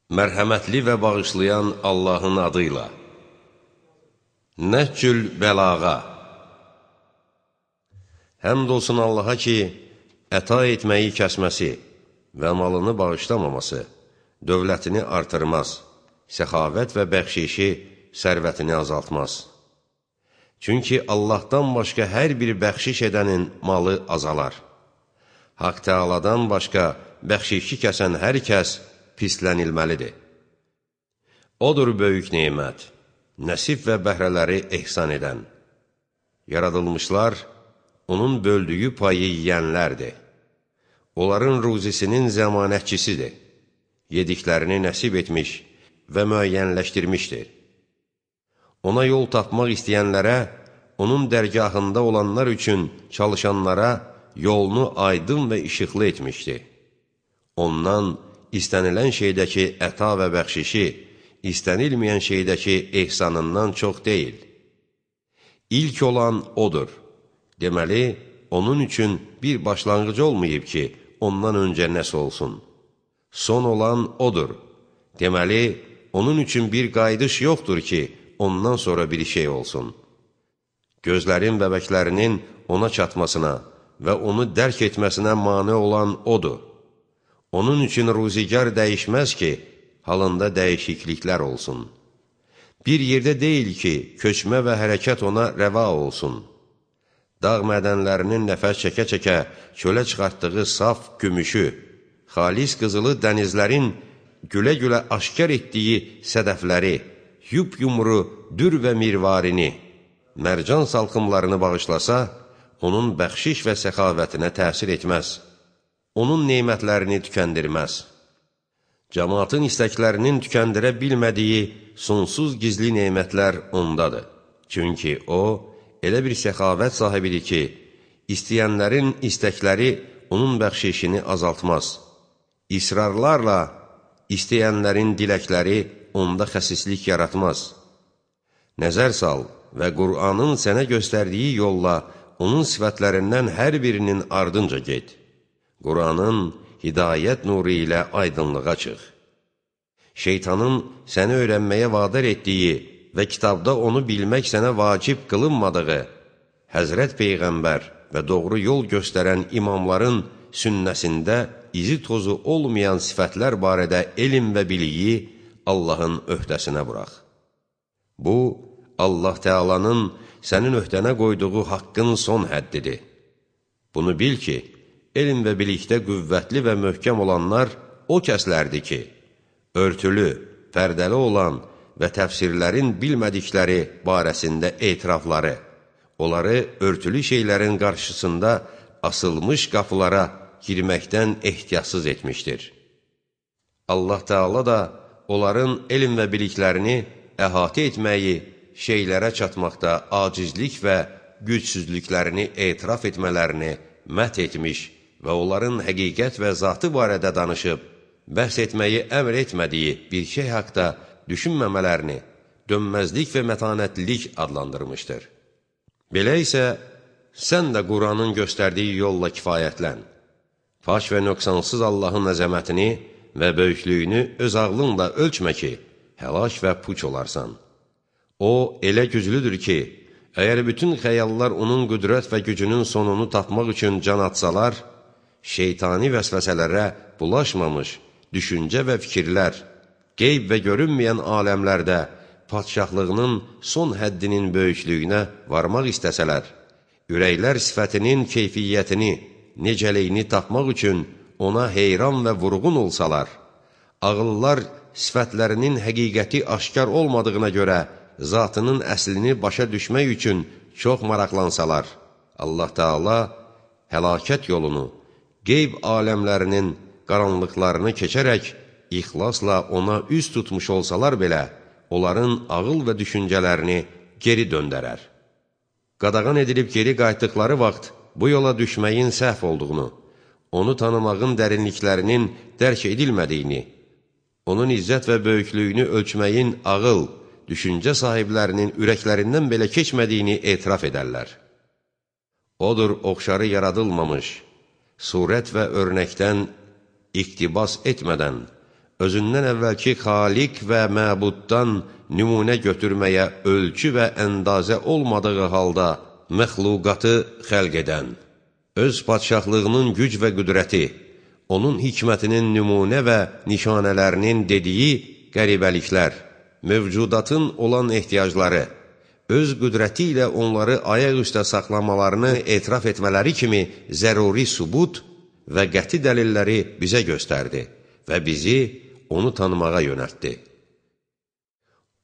Mərhəmətli və bağışlayan Allahın adıyla. Nəhcül bəlağa. Həmd olsun Allaha ki, əta etməyi kəsməsi və malını bağışlamaması, dövlətini artırmaz, səxavət və bəxşişi sərvətini azaltmaz. Çünki Allahdan başqa hər bir bəxşiş edənin malı azalar. Haqq Teala'dan başqa bəxşişi kəsən hər kəs pislənilməlidir. Odur böyük nemət, nəsib və bəhrələri ehsan edən. Yaradılmışlar, onun böldüyü payı yiyənlərdir. Onların ruzisinin zəmanətçisidir. Yediklərini nəsib etmiş və müəyyənləşdirmişdir. Ona yol tapmaq istəyənlərə, onun dərgahında olanlar üçün çalışanlara yolunu aydın və işıqlı etmişdir. Ondan istənilən şeydəki əta və bəxşişi, istənilməyən şeydəki ehsanından çox deyil. İlk olan odur. Deməli, onun üçün bir başlanğıc olmayıb ki, ondan öncə nəsə olsun. Son olan odur. Deməli, onun üçün bir qayıdış yoxdur ki, ondan sonra bir şey olsun. Gözlərin bəbəklərinin ona çatmasına və onu dərk etməsinə mane olan odur. Onun üçün ruzigar dəyişməz ki, halında dəyişikliklər olsun. Bir yerdə deyil ki, köçmə və hərəkət ona rəva olsun. Dağ mədənlərinin nəfəs çəkə-çəkə çölə çıxartdığı saf gümüşü, xalis qızılı dənizlərin gülə-gülə aşkar etdiyi sədəfləri, yup-yumru dür və mirvarini, mərcan salxımlarını bağışlasa, onun bəxşiş və səxavətinə təsir etməz. Onun neymətlərini tükəndirməz. Cəmaatın istəklərinin tükəndirə bilmədiyi sonsuz gizli neymətlər ondadır. Çünki o, elə bir səxavət sahibidir ki, istəyənlərin istəkləri onun bəxşişini azaltmaz. İsrarlarla istəyənlərin diləkləri onda xəsislik yaratmaz. Nəzər sal və Qur'anın sənə göstərdiyi yolla onun sifətlərindən hər birinin ardınca get. Qur'anın hidayət nuru ilə aydınlığa çıx. Şeytanın səni öyrənməyə vadar etdiyi və kitabda onu bilmək sənə vacib qılınmadığı, Həzrət Peyğəmbər və doğru yol göstərən imamların sünnəsində izi tozu olmayan sifətlər barədə elm və biliyi Allahın öhdəsinə burax. Bu, Allah Teala'nın sənin öhdənə qoyduğu haqqın son həddidir. Bunu bil ki, elm və bilikdə qüvvətli və möhkəm olanlar o kəslərdir ki, örtülü, pərdəli olan və təfsirlərin bilmədikləri barəsində etirafları, onları örtülü şeylərin qarşısında asılmış qapılara girməkdən ehtiyatsız etmişdir. Allah Teala da onların elm və biliklərini əhatə etməyi, şeylərə çatmaqda acizlik və gücsüzlüklərini etiraf etmələrini mət etmiş və onların həqiqət və zatı barədə danışıb, bəhs etməyi əmr etmədiyi bir şey haqda düşünməmələrini dönməzlik və mətanətlilik adlandırmışdır. Belə isə, sən də Qur'anın göstərdiyi yolla kifayətlən. Faş və nöqsansız Allahın əzəmətini və böyüklüyünü öz ağlınla ölçmə ki, həlak və puç olarsan. O, elə güclüdür ki, əgər bütün xəyallar onun qüdrət və gücünün sonunu tapmaq üçün can atsalar, şeytani vəsvəsələrə bulaşmamış düşüncə və fikirlər, qeyb və görünməyən aləmlərdə padşahlığının son həddinin böyüklüyünə varmaq istəsələr, ürəklər sifətinin keyfiyyətini, necəliyini tapmaq üçün ona heyran və vurğun olsalar, ağıllar sifətlərinin həqiqəti aşkar olmadığına görə zatının əslini başa düşmək üçün çox maraqlansalar, Allah Teala həlakət yolunu, qeyb aləmlərinin qaranlıqlarını keçərək, ixlasla ona üz tutmuş olsalar belə, onların ağıl və düşüncələrini geri döndərər. Qadağan edilib geri qayıtdıqları vaxt bu yola düşməyin səhv olduğunu, onu tanımağın dərinliklərinin dərk edilmədiyini, onun izzət və böyüklüyünü ölçməyin ağıl, düşüncə sahiblərinin ürəklərindən belə keçmədiyini etiraf edərlər. Odur oxşarı yaradılmamış, surət və örnəkdən iqtibas etmədən, özündən əvvəlki xaliq və məbuddan nümunə götürməyə ölçü və əndazə olmadığı halda məxluqatı xəlq edən, öz padşahlığının güc və qüdrəti, onun hikmətinin nümunə və nişanələrinin dediyi qəribəliklər, mövcudatın olan ehtiyacları, öz qüdrəti ilə onları ayaq üstə saxlamalarını etiraf etmələri kimi zəruri sübut və qəti dəlilləri bizə göstərdi və bizi onu tanımağa yönəltdi.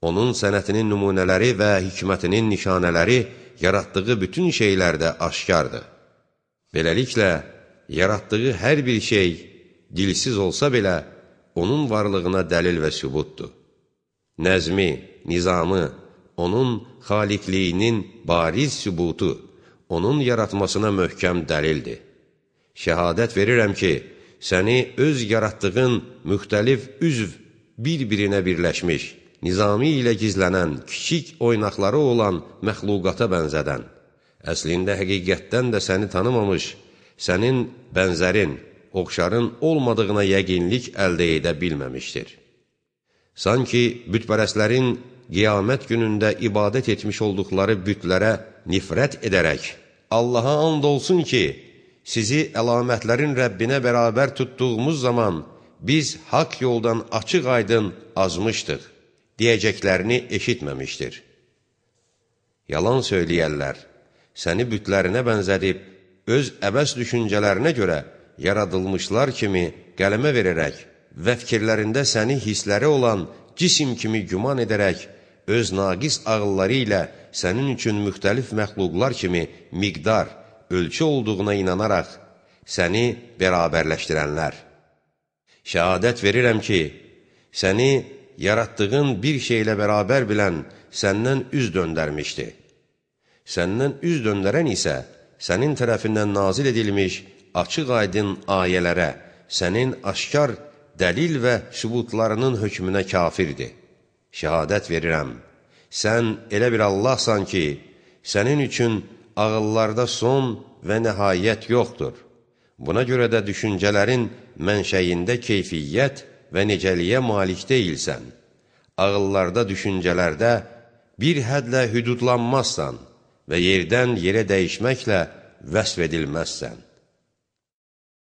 Onun sənətinin nümunələri və hikmətinin nişanələri yaratdığı bütün şeylərdə aşkardır. Beləliklə, yaratdığı hər bir şey dilsiz olsa belə, onun varlığına dəlil və sübutdur. Nəzmi, nizamı, onun xaliqliyinin bariz sübutu, onun yaratmasına möhkəm dəlildir. Şəhadət verirəm ki, səni öz yaratdığın müxtəlif üzv bir-birinə birləşmiş, nizami ilə gizlənən, kiçik oynaqları olan məxluqata bənzədən, əslində həqiqətdən də səni tanımamış, sənin bənzərin, oxşarın olmadığına yəqinlik əldə edə bilməmişdir. Sanki bütpərəstlərin qiyamət günündə ibadət etmiş olduqları bütlərə nifrət edərək, Allaha and olsun ki, sizi əlamətlərin Rəbbinə bərabər tutduğumuz zaman biz haqq yoldan açıq-aydın azmışdıq, deyəcəklərini eşitməmişdir. Yalan söyləyərlər, səni bütlərinə bənzədib, öz əbəs düşüncələrinə görə yaradılmışlar kimi qələmə verərək və fikirlərində səni hissləri olan cisim kimi güman edərək, öz naqis ağılları ilə sənin üçün müxtəlif məxluqlar kimi miqdar, ölçü olduğuna inanaraq səni bərabərləşdirənlər. Şəhadət verirəm ki, səni yaratdığın bir şeylə bərabər bilən səndən üz döndərmişdi. Səndən üz döndərən isə sənin tərəfindən nazil edilmiş açıq-aydın ayələrə, sənin aşkar dəlil və sübutlarının hökmünə kafirdir. Şəhadət verirəm, sən elə bir Allahsan ki, sənin üçün ağıllarda son və nəhayət yoxdur. Buna görə də düşüncələrin mənşəyində keyfiyyət və necəliyə malik deyilsən. Ağıllarda, düşüncələrdə bir hədlə hüdudlanmazsan və yerdən yerə dəyişməklə vəsf edilməzsən.